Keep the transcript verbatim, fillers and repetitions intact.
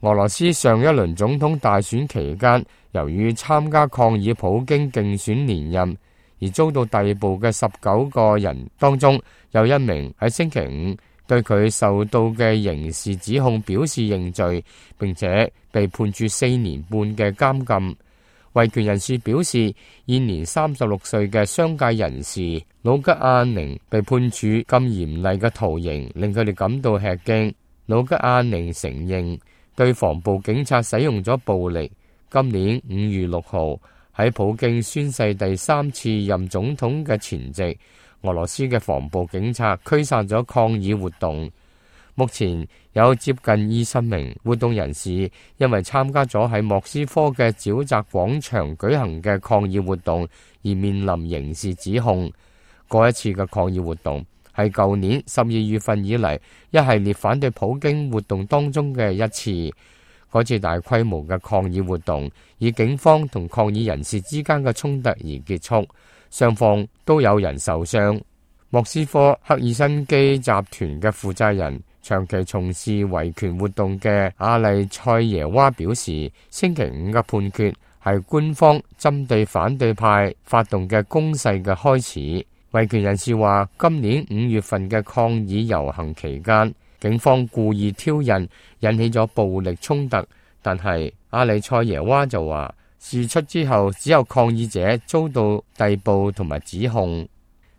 俄羅斯上一輪總統大選期間，由於參加抗議普京競選連任而遭到逮捕嘅十九個人當中，有一名喺星期五對佢受到嘅刑事指控表示認罪，並且被判處四年半嘅監禁。維權人士表示，現年三十六歲嘅商界人士魯吉亞寧被判處咁嚴厲嘅徒刑，令佢哋感到吃驚。魯吉亞寧承認對防暴警察使用咗暴力。今年五月六號喺普京宣誓第三次任總統嘅前夕，俄羅斯嘅防暴警察驅散咗抗議活動。目前有接近二十名活動人士因為參加咗喺莫斯科嘅沼澤廣場舉行嘅抗議活動而面臨刑事指控。嗰一次嘅抗議活動係舊年十二月份以嚟一系列反對普京活動當中嘅一次。嗰次大規模嘅抗議活動以警方同抗議人士之間嘅衝突而結束，雙方都有人受傷。莫斯科赫爾辛基集團嘅負責人，長期從事維權活動嘅阿麗塞耶娃表示，星期五嘅判決係官方針對反對派發動嘅攻勢嘅開始。維權人士話，今年五月份嘅抗議遊行期間，警方故意挑釁，引起咗暴力衝突。但係阿里塞耶娃就話，事出之後只有抗議者遭到逮捕同埋指控。